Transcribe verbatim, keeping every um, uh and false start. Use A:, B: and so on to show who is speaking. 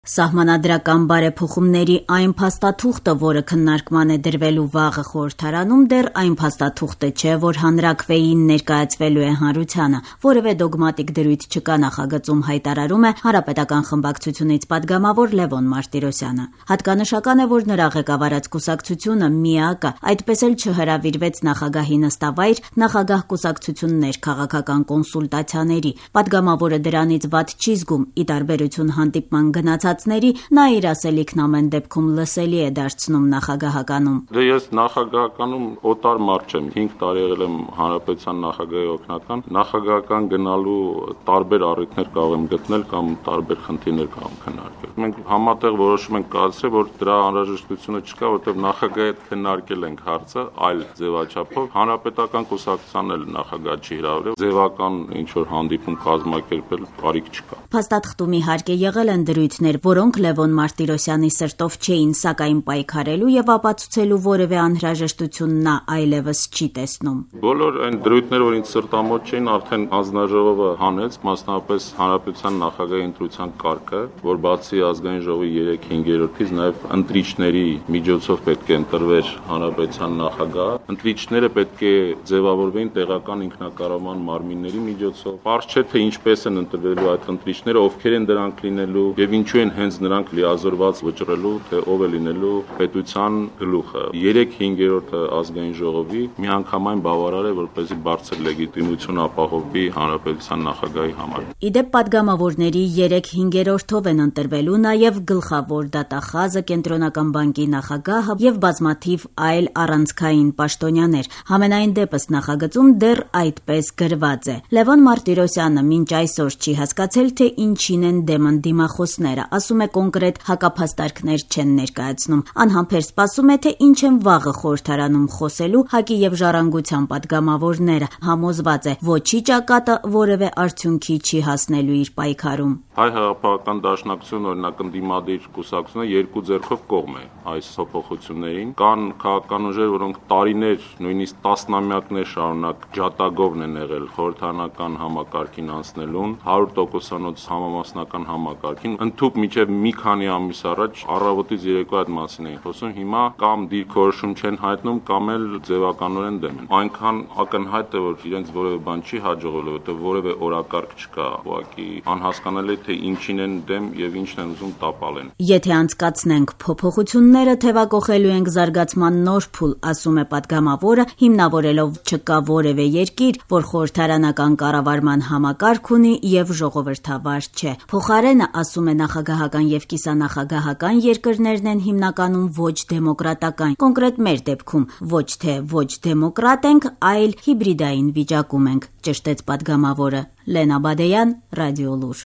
A: Սահմանադրական բարեփոխումների այն փաստաթուղթը, որը քննարկման է դրվելու վաղը խորհրդարանում, դեռ այն փաստաթուղթը չէ, որ հանրաքվեին ներկայացվելու է հանրությանը։ Որևէ դոգմատիկ դրույթ չկա նախագծում, հայտարարում է Հանրապետական խմբակցությունից падգամավոր Լևոն Մարտիրոսյանը։ Հատկանշական է, որ նրա ղեկավարած կուսակցությունը ՄԻԱԿ-ը այդպես էլ չհրավիրվեց նախագահի նստավայր նախագահ կուսակցություններ քաղաքական կոնսուլտացիաների։ Падգամավորը դրանից վատ չի զգում, ի տարբերություն հանդիպման գնացածների, նա իր ասելիքն ամեն դեպքում լսելի է դարձնում նախագահականում։
B: Դե ես նախագահականում օտար մարդ չեմ, հինգ տարի եղել եմ հանրապետության նախագահի օգնական, նախագահական գնալու տարբեր առիթներ կարող եմ գտնել կամ տարբեր խնդիրներ կարող եմ քննարկել։ Մենք համատեղ որոշում ենք կայացրել, որ դրա անհրաժեշտությունը չկա, որովհետև նախագահի հետ քննարկել ենք հարցը այլ ձևաչափով, հանրապետական կուսակցությանն էլ նախագահ չի հրավիրել, ձևական ինչ որ հանդիպում կազմակերպել կարիք չկա։
A: Փաստաթղթում իհարկե եղել են դրույթներ, որոնք Լևոն Մարտիրոսյանի սրտով չէին, սակայն պայքարելու եւ ապացուցելու որևէ անհրաժեշտություն նա այլևս չի տեսնում։
B: Բոլոր այն դրույթները, որ ինձ սրտամոտ չէին, արդեն հանձնաժողովը հանեց, մասնավորապես հանրապետության նախագահի ընտրության կարգը, որ բացի ազգային ժողովի երեք հինգերորդից նաեւ ընտրիչների միջոցով պետք է ընտրվեր հանրապետության նախագահ։ Ընտրիչները պետք է ձևավորվեին տեղական ինքնակառավարման մարմինների միջոցով։ Պարզ չէ թե ինչպես են ընտրվելու այդ ընտրիչները, ովքեր են դրանք լինելու եւ ինչու են հենց նրանք լիազորված վճռելու, թե ով է լինելու պետության գլուխը։ երեք հինգերորդը ազգային ժողովի միանգամայն բավարար է, որպեսզի բարձր լեգիտիմություն ապահովի հանրապետության նախագահի համար։
A: Իդեպ падգամավորների երեք հինգերորդով են ընտրվելու նաեւ գլխավոր դատախազը, Կենտրոնական բանկի նախագահը եւ բազմաթիվ այլ առանցքային պաշտոնյաներ։ Համենայն դեպս նախագծում դեռ այդպես գրված է։ Լևոն Մարտիրոսյանը մինչ այսօր չի հասկացել, թե ինչին են դեմ ընդդիմախոսները, ասում է կոնկրետ հակափաստարկներ չեն ներկայացնում։ Անհամբեր սպասում է, թե ինչ են վաղը խորհրդարանում խոսելու ՀԱԿ-ի եւ Ժառանգության падգամավորները։ Համոզված է, ոչի ճակատը որևէ արդյունքի չի հասնելու իր պայքարում։
B: Հայ հեղափոխական դաշնակցությունը, օրինակ ընդդիմադիր կուսակցությունը երկու ձեռքով կողմ է այս փոփոխություններին։ Կան քաղաքական ուժեր, որոնք տարիներ, նույնիսկ տասնամյակներ շարունակ ջատագովն են եղել խորհրդարանական համակարգին անցնելուն, հարյուր տոկոսանոց համամասնական համակարգին, ընդհուպ մինչև մի քանի ամիս առաջ առավոտից երեկո այդ մասին էին խոսում, հիմա կամ դիրքորոշում չեն հայտնում, կամ էլ ձևականորեն դեմ են։ Այնքան ակնհայտ է, որ իրենց որևէ բան չի հաջողվել, որովհետև որևէ օրակարգ չկա, ուղղակի անհասկանալի թե ինչին են դեմ եւ ինչն են ուզում տապալեն։
A: Եթե անցկացնենք փոփոխությունները, թեվակողելու ենք զարգացման նոր փուլ, ասում է падգամավորը, հիմնավորելով չկա որևէ երկիր, որ խորհրդարանական կառավարման համակարգ ունի եւ ժողովրդավար չէ։ Փոխարենը, ասում է, նախագահական եւ կիսանախագահական երկրներն են հիմնականում ոչ դեմոկրատական։ Կոնկրետ մեր դեպքում ոչ թե ոչ դեմոկրատ ենք, այլ հիբրիդային վիճակում ենք, ճշտեց падգամավորը։ Լենա Բադեյան, Ռադիոլուր։